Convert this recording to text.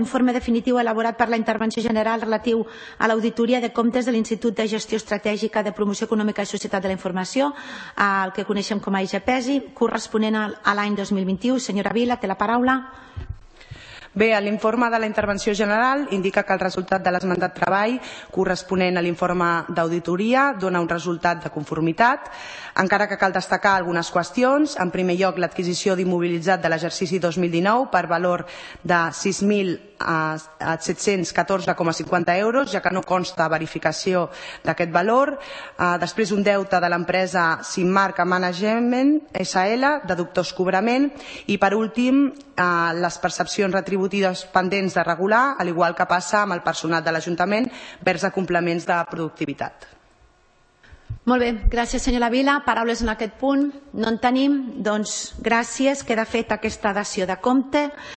Informe definitiu elaborat per la Intervenció General relatiu a l'auditoria de comptes de l'Institut de Gestió Estratègica de Promoció Econòmica i Societat de la Informació, el que coneixem com a IGPESI, corresponent a l'any 2021. Senyora Vila, té la paraula. Bé, l'informe de la Intervenció General indica que el resultat de l'esmentat treball corresponent a l'informe d'auditoria dona un resultat de conformitat, encara que cal destacar algunes qüestions. En primer lloc, l'adquisició d'immobilitzat de l'exercici 2019 per valor de 6.714,50 euros, ja que no consta verificació d'aquest valor. Després, un deute de l'empresa Simmarca Management SL, de dubtós cobrament. I, per últim, les percepcions retributives pendents de regular, al igual que passa amb el personal de l'Ajuntament, vers a complements de productivitat. Molt bé, gràcies senyora Vila. Paraules en aquest punt no en tenim, doncs gràcies, queda feta aquesta dació de compte.